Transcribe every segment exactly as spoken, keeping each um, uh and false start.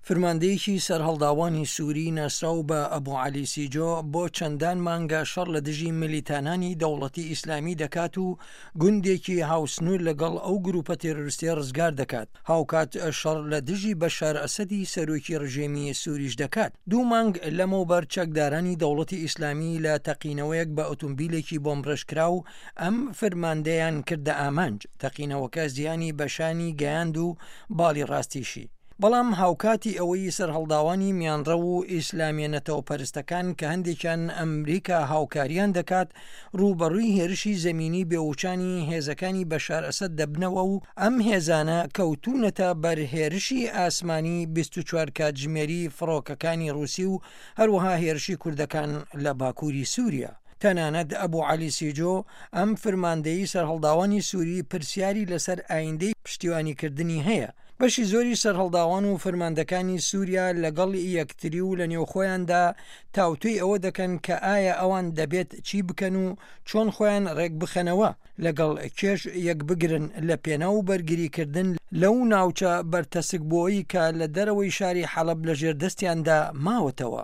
فرماندەیەکی سەرهەڵداوانی سووری ناسراو بە ئەبو عەلی سیجۆ بۆ چەندان مانگە شەڕ لە دژی ملیتانانی دەوڵەتی ئیسلامی دەکات و گوندێکی هاوسنوور لەگەڵ ئەو گروپە تێرۆریستیە ڕزگار دەکات، هاوکات شەڕ لە دژی بەشار ئەسەدی سەرۆکی ڕژێمی سووریش دەکات. دوو مانگ لەمەوبەر چەکدارانی دەوڵەتی ئیسلامی لە تەقینەوەیەک بە ئۆتۆمبیلێکی بۆمبڕێژکراو ئەم فرماندەیان کردە ئامانج. تەقینەوەکە زیانی بە شانی گەیاند و باڵی ڕاستیشی. بەڵام هاوکاتی ئەوەی سەرهەڵداوانی میانڕەو و ئیسلامیە نەتەوەپەرستەکان کە هەندێکیان ئەمریکا هاوکاریان دەکات ڕووبەڕووی هێرشی زەمینی بێوچانی هێزەکانی بەشار ئەسەد دەبنەوە و ئەم هێزانە کەوتوونەتە بەر هێرشی ئاسمانی بیست و چوار کاتژمێری فڕۆکەکانی ڕووسی و هەروەها هێرشی کوردەکان لە باکووری سووریا. تەنانەت ئەبو عەلی سیجۆ ئەم فرماندەیی سەرهەڵداوانی سووری پرسیاری لەسەر ئایندەی پشتیوانیکردنی هەیە. بەشی زۆری سەرهەڵداوان و فرماندەکانی سووریا لەگەڵ یەکتری و لە نێوخۆیاندا تاوتوێی ئەوە دەکەن کە ئایا ئەوان دەبێت چی بکەن و چۆن خۆیان ڕێک بخەنەوە لەگەڵ کێش یەکبگرن لە پێناو بەرگریکردن لەو ناوچە بەرتەسکبووەی کە لە دەرەوەی شاری حەڵەب لەژێر دەستیاندا ماوەتەوە.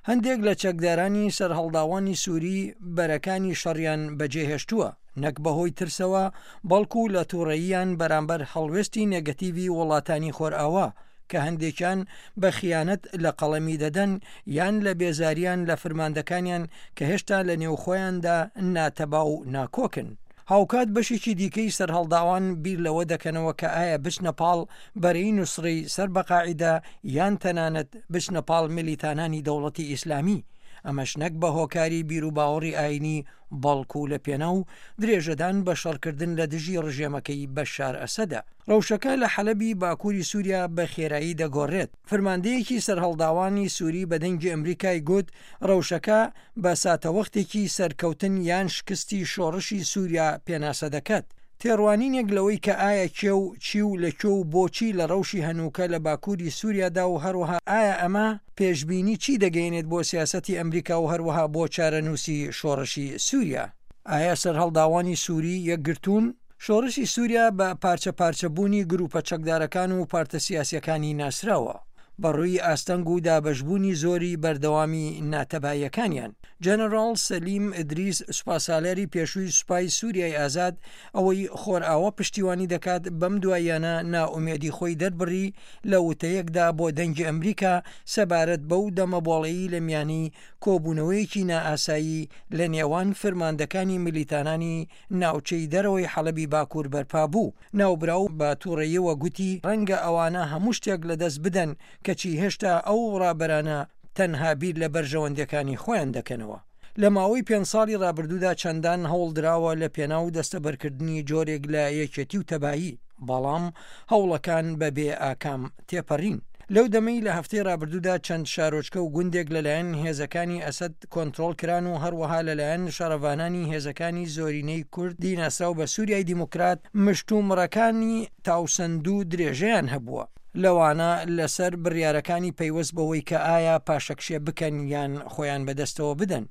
هەندێک لە چەکدارانی سەرهەڵداوانی سووری بەرەکانی شەڕیان بەجێهێشتووە، نەک بەهۆی ترسەوە بەڵکو لە تووڕەییان بەرامبەر هەڵوێستی نێگەتیڤی وڵاتانی خۆرئاوا کە هەندێکیان بە خیانەت لە قەڵەمی دەدەن یان لە بێزاریان لە فرماندەکانیان کە هێشتا لە نێوخۆیاندا ناتەبا و ناکۆکن. هاوکات بەشێکی دیکەی سەرهەڵداوان بیر لەوە دەکەنەوە کە ئایا بچنە پاڵ بەرەی نوسرەی سەر بە قاعیدە یان تەنانەت بچنە پاڵ میلیتانانی دەوڵەتی ئیسلامی، ئەمەش نەک بە هۆکاری بیروباوەڕی ئاینی بەڵکو لە پێناو درێژەدان بە شەڕکردن لە دژی ڕژێمەکەی بەشار ئەسەدە. ڕەوشەکە لە حەلەبی باکووری سووریا بە خێرایی دەگۆڕێت. فرماندەیەکی سەرهەڵداوانی سووری بە دەنگی ئەمریکای گوت ڕەوشەکە بە ساتەوەختێکی سەرکەوتن یان شکستی شۆڕشی سووریا پێناسە دەکات. تێڕوانینێک لەوەی کە ئایا کێ و چی و لە کوێ و بۆچی لە ڕەوشی هەنووکە لە باکووری سووریادا و هەروەها ئایا ئەمە پێشبینی چی دەگەیەنێت بۆ سیاسەتی ئەمریکا و هەروەها بۆ چارەنووسی شۆڕشی سووریا. ئایا سەرهەڵداوانی سووری یەکگرتوون؟ شۆڕشی سووریا بە پارچە پارچەبوونی گروپە چەکدارەکان و پارتە سیاسیەکانی ناسراوە، بەڕووی ئاستەنگ و دابەشبوونی زۆری بەردەوامی ناتەباییەکانیان. جەنەڕاڵ سەلیم ئیدریس سوپاسالاری پێشووی سوپای سووریای ئازاد ئەوەی خۆرئاوا پشتیوانی دەکات بەم دواییانە نائومێدی خۆی دەربڕی لە وتەیەکدا بۆ دەنگی ئەمریکا سەبارەت بەو دەمەبۆڵەیی لە میانی کۆبوونەوەیەکی نائاسایی لە نێوان فرماندەکانی ملیتانانی ناوچەی دەرەوەی حەلەبی باکوور بەرپا بوو. ناوبراو بە تووڕەییەوە گوتی ڕەنگە ئەوانە هەموو شتێک لەدەست بدەن کەچی هێشتا ئەو ڕابەرانە تەنها بیر لە بەرژەوەندیەکانی خۆیان دەکەنەوە. لە ماوەی پێنج ساڵی ڕابردوودا چەندان هەوڵ دراوە لە پێناو دەستەبەرکردنی جۆرێک لە یەکێتی و تەبایی، بەڵام هەوڵەکان بەبێ ئاکام تێپەڕین. لەو دەمەی لە هەفتەی ڕابردوودا چەند شارۆچکە و گوندێک لەلایەن هێزەکانی ئەسەد کۆنترۆڵ کران و هەروەها لەلایەن شەڕەڤانانی هێزەکانی زۆرینەی کوردی ناسراو بە سووریای دیموکرات مشتومڕەکانی تاوسەندوو درێژەیان هەبووە، لەوانە لەسەر بڕیارەکانی پەیوەست بەوەی کە ئایا پاشەکشێ بکەن یان خۆیان بەدەستەوە بدەن.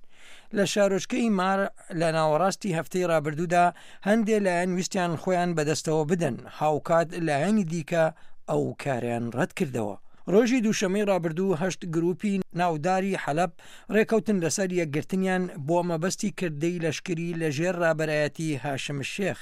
لە شارۆچکەی مار لە ناوەڕاستی هەفتەی ڕابردوودا هەندێ لایەن ویستیان خۆیان بەدەستەوە بدەن، هاوکات لایەنی دیکە ئەو کاریان ڕەت کردەوە. ڕۆژی دووشەمەی ڕابردوو هەشت گروپی ناوداری حەلەب ڕێکەوتن لەسەر یەکگرتنیان بۆ مەبەستی کردەی لەشکری لەژێر ڕابەرایەتی هاشم شێخ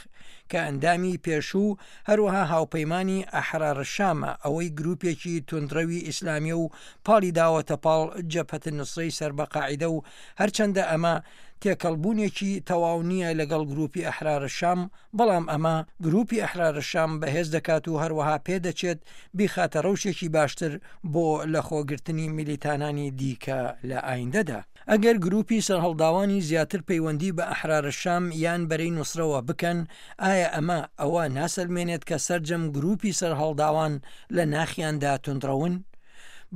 کە ئەندامی پێشوو هەروەها هاوپەیمانی ئەحرار شامە، ئەوەی گروپێکی توندڕەوی ئیسلامیە و پاڵی داوەتە پاڵ جەبهەت نوسرەی سەر بە قاعیدە و هەرچەندە ئەمە تێکەڵبوونێکی تەواو نییە لەگەڵ گروپی ئەحرار شام، بەڵام ئەمە گروپی ئەحرار شام بەهێز دەکات و هەروەها پێدەچێت بیخاتە ڕەوشێکی باشتر بۆ لەخۆگرتنی میلیتانانی دیکە لە ئایندەدا. ئەگەر گروپی سەرهەڵداوانی زیاتر پەیوەندی بە ئەحرار شام یان بەرەی نوسرەوە بکەن، ئایا ئەمە ئەوە ناسەلمێنێت کە سەرجەم گروپی سەرهەڵداوان لە ناخیاندا توندڕەون؟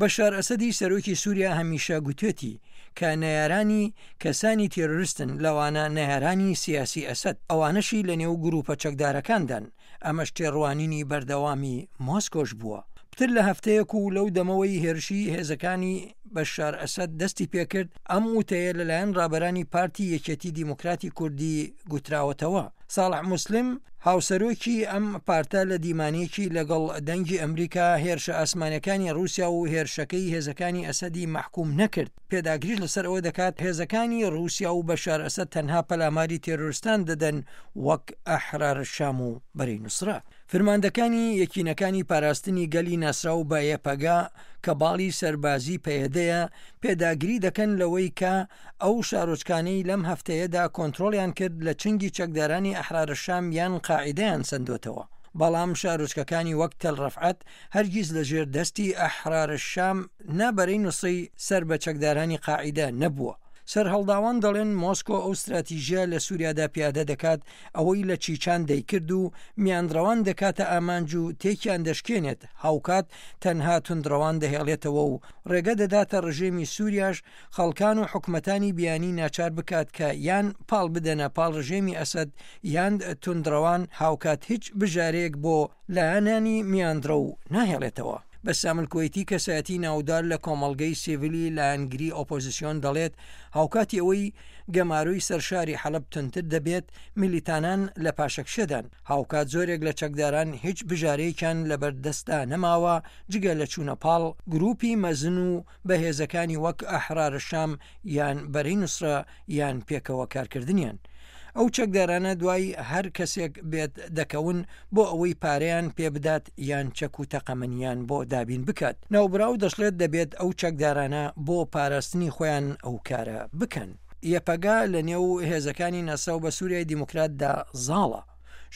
بەشار ئەسەدی سەرۆکی سووریا هەمیشە گوتوێتی کە نەیارانی کەسانی تێرۆریستن، لەوانە نەیارانی سیاسی ئەسەد، ئەوانەشی لەنێو گروپە چەکدارەکاندان، ئەمەش تێڕوانینی بەردەوامی مۆسکۆش بووە. پتر لە هەفتەیەک و لەو دەمەوەی هێرشی هێزەکانی بەشار ئەسەد دەستی پێکرد، ئەم وتەیە لەلایەن ڕابەرانی پارتی یەکێتی دیموکراتی کوردی گوتراوەتەوە. ساڵح موسلیم هاوسەرۆکی ئەم پارتە لە دیمانەیەکی لەگەڵ دەنگی ئەمریکا هێرشە ئاسمانەکانی ڕووسیا و هێرشەکەی هێزەکانی ئەسەدی مەحکوم نەکرد، پێداگریش لەسەر ئەوە دەکات هێزەکانی ڕووسیا و بەشار ئەسەد تەنها پەلاماری تێرۆرستان دەدەن وەک ئەحرار شام و بەرەی نوسرە. فرماندەکانی یەکینەکانی پاراستنی گەلی ناسراو بە یەپەگە کە باڵی سەربازی پەیەدەیە پێداگری دەکەن لەوەی کە ئەو شارۆچکانەی لەم هەفتەیەدا کۆنترۆڵیان کرد لە چنگی چەکدارانی ئەحرار شام یان قاعیدەیان سەندۆتەوە، بەڵام شارۆچکەکانی وەک تەل ڕەفعەت هەرگیز لەژێر دەستی ئەحرار شام نا بەرەی نوسرەی سەر بە چەکدارانی قاعیدە نەبووە. سەرهەڵداوان دەڵێن مۆسکۆ ئەو ستراتیژیە لە سووریادا پیادە دەکات ئەوەی لە چیچان دەیکرد و میانڕەوان دەکاتە ئامانج و تێکیان دەشکێنێت، هاوکات تەنها توندڕەوان دەهێڵێتەوە و ڕێگە دەداتە ڕژێمی سووریاش خەڵکان و حکومەتانی بیانی ناچار بکات کە یان پاڵ بدەنە پاڵ ڕژێمی ئەسەد یان توندڕەوان، هاوکات هیچ بژارەیەک بۆ لایەنانی میانڕەو ناهێڵێتەوە. بەسام الکوەیتی کەسایەتی ناودار لە کۆمەڵگەی سیڤیلی لایەنگری ئۆپۆزیسیۆن دەڵێت هاوکاتی ئەوەی گەمارۆی سەر شاری حەلەب توندتر دەبێت میلیتانان لە پاشەکشێدان، هاوکات زۆرێک لە چەکداران هیچ بژارەیەکیان لەبەردەستدا نەماوە جگە لە چوونە پاڵ گروپی مەزن و بەهێزەکانی وەک ئەحرار شام یان بەرەی نوسرە یان پێکەوە کارکردنیان. ئەو چەکدارانە دوای هەر کەسێک بێت دەکەون بۆ ئەوەی پارەیان پێبدات یان چەک و تەقەمەنیان بۆ دابین بکات. ناوبراو دەشڵێت دەبێت ئەو چەکدارانە بۆ پاراستنی خۆیان ئەو کارە بکەن. یەپەگە لە نێو هێزەکانی ناسراو بە سووریای دیموکراتدا زاڵە.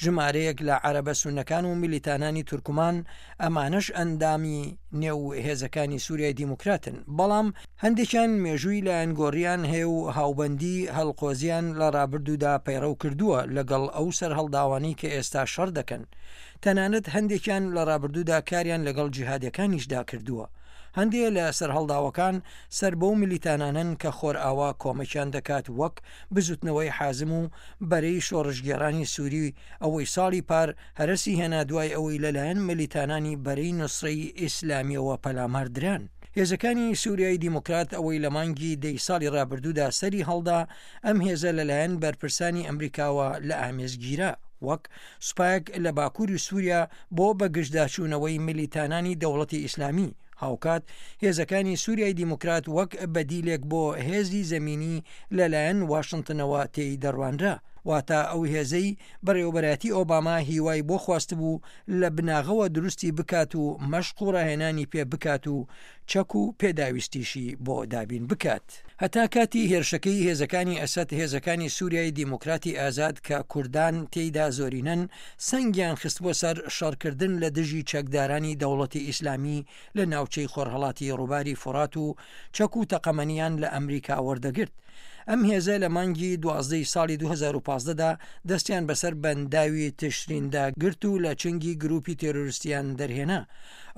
ژمارەیەک لە عەرەبە سوننەکان و میلیتانانی تورکمان ئەمانەش ئەندامی نێو هێزەکانی سووریای دیموکراتن، بەڵام هەندێکیان مێژووی لایەنگۆڕیان هەیە و هاوبەندی هەڵقۆزیان لە ڕابردوودا پەیڕەو کردووە لەگەڵ ئەو سەرهەڵداوانەی کە ئێستا شەڕ دەکەن. تەنانەت هەندێکیان لە ڕابردوودا کاریان لەگەڵ جیهادەکانیشدا کردووە. هەندێک لە سەرهەڵداوەکان سەر بەو میلیتانانەن کە خۆرئاوا کۆمەکیان دەکات وەک بزوتنەوەی حازم و بەرەی شۆڕشگێڕانی سووری ئەوەی ساڵی پار هەرەسی هێنا دوای ئەوەی لەلایەن میلیتانانی بەرەی نوسرەی ئیسلامیەوە پەلامار دران. هێزەکانی سووریای دیموکرات ئەوەی لە مانگی دەی ساڵی ڕابردوودا سەری هەڵدا، ئەم هێزە لەلایەن بەرپرسانی ئەمریکاوە لە ئامێز گیرا وەک سوپایەک لە باکووری سووریا بۆ بەگژداچوونەوەی میلیتانانی دەوڵەتی ئیسلامی. هاوکات هێزەکانی سووریای دیموکرات وەک بەدیلێک بۆ هێزی زەمینی لەلایەن واشنتنەوە تێی دەڕوانرا، واتە ئەو هێزەی بەڕێوەبەرایەتی ئۆباما هیوای بۆ خواستبوو لە بناغەوە دروستی بکات و مەشق و ڕاهێنانی پێ بکات و چەک و پێداویستیشی بۆ دابین بکات. هەتا کاتی هێرشەکەی هێزەکانی ئەسەد، هێزەکانی سووریای دیموکراتی ئازاد کە کوردان تێیدا زۆرینەن، سەنگیان خستبووە سەر شەڕکردن لە دژی چەکدارانی دەوڵەتی ئیسلامی لە ناوچەی خۆرهەڵاتی ڕووباری فورات و چەک و تەقەمەنیان لە ئەمریکا وەردەگرت. ئەم هێزە لە مانگی دوازدە ی ساڵی دوو هەزار و پازدە دا دەستیان بەسەر بەنداوی تشریندا گرت و لە چنگی گروپی تێرۆریستیان دەرهێنا.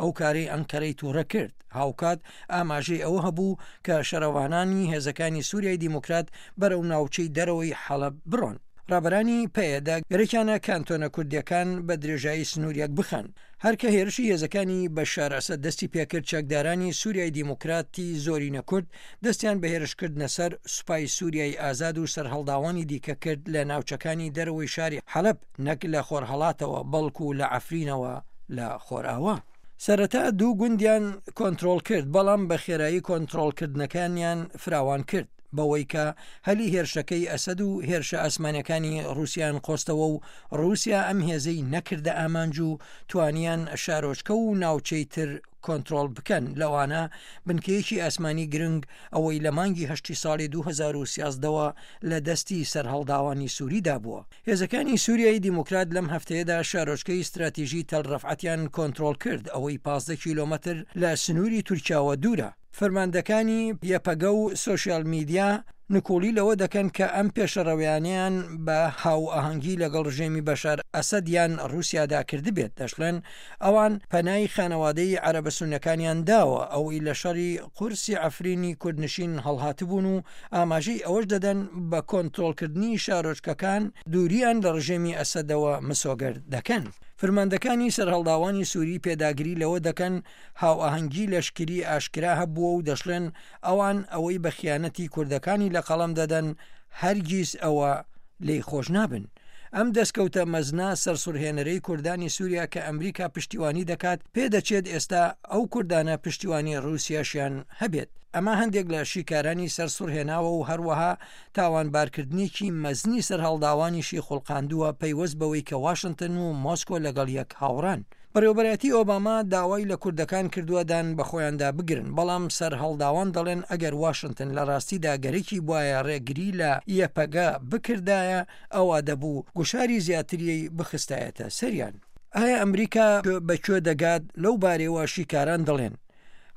ئەو کارەی ئەنقەرەی تووڕە کرد. هاوکات ئاماژەی ئەوە هەبوو کە شەڕەوانانی هێزەکانی سووریای دیموکرات بەرەو ناوچەی دەرەوەی حەڵەب بڕۆن. ڕابەرانی پەیەدە گەرەکیانە کانتۆنە کوردیەکان بە درێژایی سنوور یەک بخەن. هەر کە هێرشی هێزەکانی بەشار ئەسەد دەستی پێکرد، چەکدارانی سووریای دیموکراتی زۆرینە کورد دەستیان بە هێرشکردنە سەر سوپای سووریای ئازاد و سەرهەڵداوانی دیکە کرد لە ناوچەکانی دەرەوەی شاری حەلەب، نەک لە خۆرهەڵاتەوە بەڵکو لە عەفرینەوە لە خۆرئاوا. سەرەتا دوو گوندیان کۆنترۆڵ کرد، بەڵام بە خێرایی کۆنترۆڵکردنەکانیان فراوان کرد، بەوەی کە هەلی هێرشەکەی ئەسەد و هێرشە ئاسمانیەکانی ڕووسیان قۆستەوە و ڕووسیا ئەم هێزەی نەکردە ئامانج و توانیان شارۆچکە و ناوچەی تر کۆنترۆڵ بکەن، لەوانە بنکەیەکی ئاسمانی گرنگ ئەوەی لە مانگی هەشتی ساڵی دوو هەزار و سیازدە وە لە دەستی سەرهەڵداوانی سووریدا بووە. هێزەکانی سووریای دیموکرات لەم هەفتەیەدا شارۆچکەی ستراتیژی تەل ڕەفعەتیان کۆنترۆڵ کرد، ئەوەی پازدە کیلۆمەتر لە سنووری تورکیاوە دوورە. فەرماندەکانی یەپەگە و سۆشیال میدیا نکوڵی لەوە دەکەن کە ئەم پێشەڕەویانەیان بە هاوئاهەنگی لەگەڵ ڕژێمی بەشار ئەسەد یان ڕووسیادا کردبێت، دەشڵێن ئەوان پەنای خانەوادەی عەرەبە سوننەکانیان داوە ئەوەی لە شەڕی قورسی عەفرینی کوردنشین هەڵهاتبوون و ئاماژەی ئەوەش دەدەن بە کۆنترۆڵکردنی شارۆچکەکان دووریان لە ڕژێمی ئەسەدەوە مسۆگەر دەکەن. فرماندەکانی سەرهەڵداوانی سووری پێداگری لەوە دەکەن هاوئاهەنگی لەشکری ئاشکرا هەبووە و دەشڵێن ئەوان ئەوەی بە خیانەتی کوردەکانی لە قەڵەم دەدەن هەرگیز ئەوە لێی خۆش نابن. ئەم دەستکەوتە مەزنە سەرسوڕهێنەرەی کوردانی سووریا کە ئەمریکا پشتیوانی دەکات، پێدەچێت ئێستا ئەو کوردانە پشتیوانی ڕووسیاشیان هەبێت. ئەمە هەندێک لە شیکارانی سەرسوڕهێناوە و هەروەها تاوانبارکردنێکی مەزنی سەرهەڵداوانیشی خوڵقاندووە پەیوەست بەوەی کە واشنتن و مۆسکۆ لەگەڵ یەک هاوڕان. بەڕێوەبەرایەتی ئۆباما داوای لە کوردەکان کردووە دان بە خۆیاندا بگرن، بەڵام سەرهەڵداوان دەڵێن ئەگەر واشنتن لە ڕاستیدا گەرەکی بوایە ڕێگری لە یەپەگە بکردایە ئەوا دەبوو گوشاری زیاتری بخستایەتە سەریان. ئایا ئەمریکا بە کوێ دەگات؟ لەو بارەیەوە شیکاران دەڵێن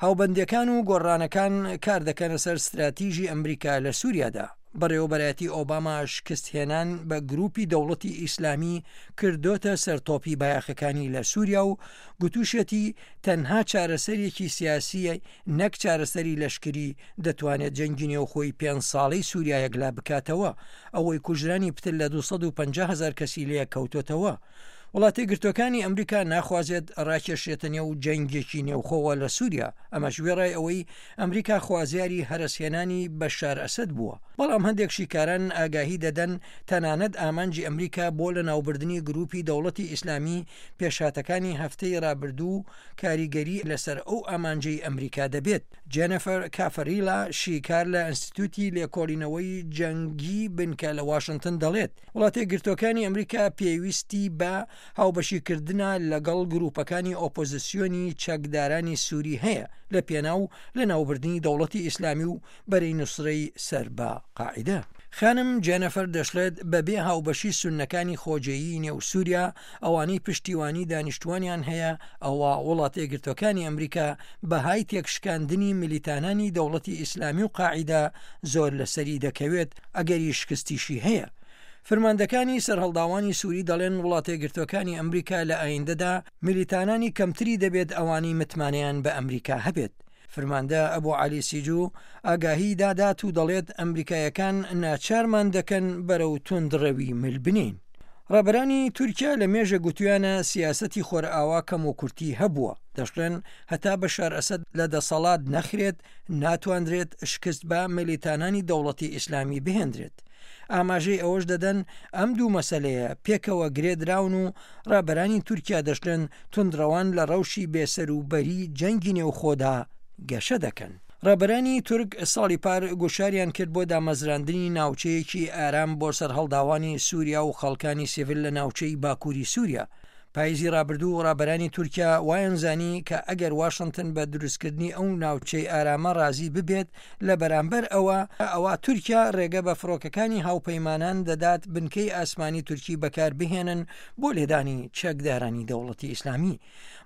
هاوبەندیەکان و گۆڕانەکان کار دەکەنە سەر ستراتیژی ئەمریکا لە سووریادا. بەڕێوەبەرایەتی ئۆباما شکستهێنان بە گروپی دەوڵەتی ئیسلامی کردۆتە سەرتۆپی بایەخەکانی لە سووریا و گوتوشێتی تەنها چارەسەرێکی سیاسیە نەک چارەسەری لەشکری دەتوانێت جەنگی نێوخۆی پێنج ساڵەی سووریا یەکلا بکاتەوە، ئەوەی کوژرانی پتر لە دوو سەد و پەنجا هەزار کەسی لێ کەوتۆتەوە. وڵاتە یەکگرتووەکانی ئەمریکا ناخوازێت ڕاکێشێتە نێو جەنگێکی نێوخۆوە لە سووریا، ئەمەش وێڕای ئەوەی ئەمریکا خوازیاری هەرەسهێنانی بەشار ئەسەد بووە. بەڵام هەندێک شیکاران ئاگاهی دەدەن تەنانەت ئامانجی ئەمریکا بۆ لەناوبردنی گروپی دەوڵەتی ئیسلامی پێشهاتەکانی هەفتەی ڕابردوو کاریگەری لەسەر ئەو ئامانجەی ئەمریکا دەبێت. جێنەفەر کافەریلا شیکار لە ئینستیتوتی لێکۆڵینەوەی جەنگی بنکە لە واشنتن دەڵێت وڵاتە یەکگرتووەکانی ئەمریکا پێویستی بە هاوبەشیکردنە لەگەڵ گروپەکانی ئۆپۆزیسیۆنی چەکدارانی سووری هەیە لە پێناو لە ناوبردنی دەوڵەتی ئیسلامی و بەرەی نوسرەی سەر بە قاعیدە. خانم جێنەفەر دەشڵێت بەبێ هاوبەشی سوننەکانی خۆجێیی نێو سووریا ئەوانەی پشتیوانی دانیشتوانیان هەیە ئەوە وڵاتە یەکگرتووەکانی ئەمریکا بەهای تێکشکاندنی ملیتانانی دەوڵەتی ئیسلامی و قاعیدە زۆر لەسەری دەکەوێت ئەگەری شکستیشی هەیە. فرماندەکانی سەرهەڵداوانی سووری دەڵێن وڵاتە یەکگرتووەکانی ئەمریکا لە ئایندەدا ملیتانانی کەمتری دەبێت ئەوانەی متمانەیان بە ئەمریکا هەبێت. فرماندە ئەبو عەلی سیجو ئاگاهی دادات و دەڵێت ئەمریکایەکان ناچارمان دەکەن بەرەو توندڕەوی مل بنین. ڕابەرانی تورکیا لە مێژە گوتویانە سیاسەتی خۆرئاوا کەم و کورتی هەبووە. دەشڵێن هەتا بەشار ئەسەد لە دەسەڵات نەخرێت ناتواندرێت شکست بە ملیتانانی دەوڵەتی ئیسلامی بهێندرێت. ئاماژەی ئەوەش دەدەن ئەم دوو مەسەلەیە پێکەوە گرێدراون و ڕابەرانی تورکیا دەشڵێن توندڕەوان لە ڕەوشی بێسەروبەری جەنگی نێوخۆدا گەشە دەکەن. ڕابەرانی تورک ساڵی پار گوشاریان کرد بۆ دامەزراندنی ناوچەیەکی ئارام بۆ سەرهەڵداوانی سووریا و خەڵکانی سیڤیل لە ناوچەی باکووری سووریا. پاییزی ڕابردوو ڕابەرانی تورکیا وایان زانی کە ئەگەر واشنتن بە دروستکردنی ئەو ناوچەی ئارامە ڕازی ببێت لە بەرامبەر ئەوە ئەوە تورکیا ڕێگە بە فڕۆکەکانی هاوپەیمانان دەدات بنکەی ئاسمانی تورکی بەکار بهێنن بۆ لێدانی چەکدارانی دەوڵەتی ئیسلامی.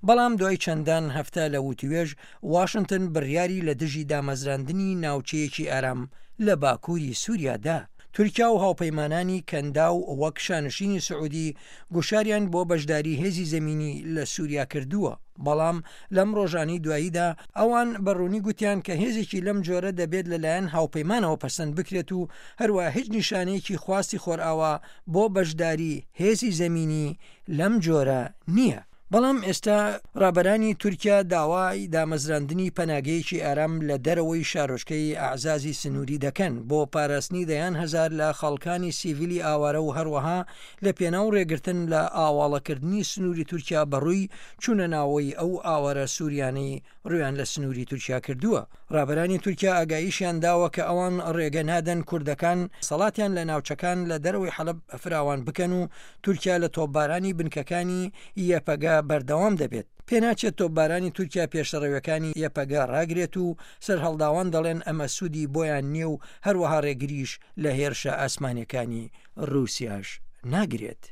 بەڵام دوای چەندان هەفتە لە وتوێژ واشنتن بڕیاری لە دژی دامەزراندنی ناوچەیەکی ئارام لە باکووری سووریادا. تورکیا و هاوپەیمانانی کەنداو وەک شانشینی سعودی گوشاریان بۆ بەشداری هێزی زەمینی لە سووریا کردووە، بەڵام لەم ڕۆژانی دواییدا ئەوان بەڕوونی گوتیان کە هێزێکی لەم جۆرە دەبێت لەلایەن هاوپەیمانەوە پەسەند بکرێت و هەروە هیچ نیشانەیەکی خواستی خۆرئاوا بۆ بەشداری هێزی زەمینی لەم جۆرە نییە. بەڵام ئێستا ڕابەرانی تورکیا داوای دامەزراندنی پەناگەیەکی ئارام لە دەرەوەی شارۆچکەی ئەعزازی سنووری دەکەن بۆ پاراستنی دەیان هەزار لە خەڵکانی سیڤیلی ئاوارە و هەروەها لە پێناو ڕێگرتن لە ئاواڵەکردنی سنووری تورکیا بەڕووی چوونە ناوەی ئەو ئاوارە سووریانەی ڕویان لە سنووری تورکیا کردووە. ڕابەرانی تورکیا ئاگاییشیان داوە کە ئەوان ڕێگە نادەن کوردەکان سەڵاتیان لە ناوچەکان لە دەرەوەی حەلەب فراوان بکەن و تورکیا لە تۆپبارانی بنکەکانی یەپەگە بەردەوام دەبێت. پێناچێت تۆپبارانی تورکیا پێشڕەویەکانی یەپەگە ڕاگرێت و سەرهەڵداوان دەڵێن ئەمە سوودی بۆیان نییە و هەروەها ڕێگریش لە هێرشە ئاسمانیەکانی ڕووسیاش ناگرێت.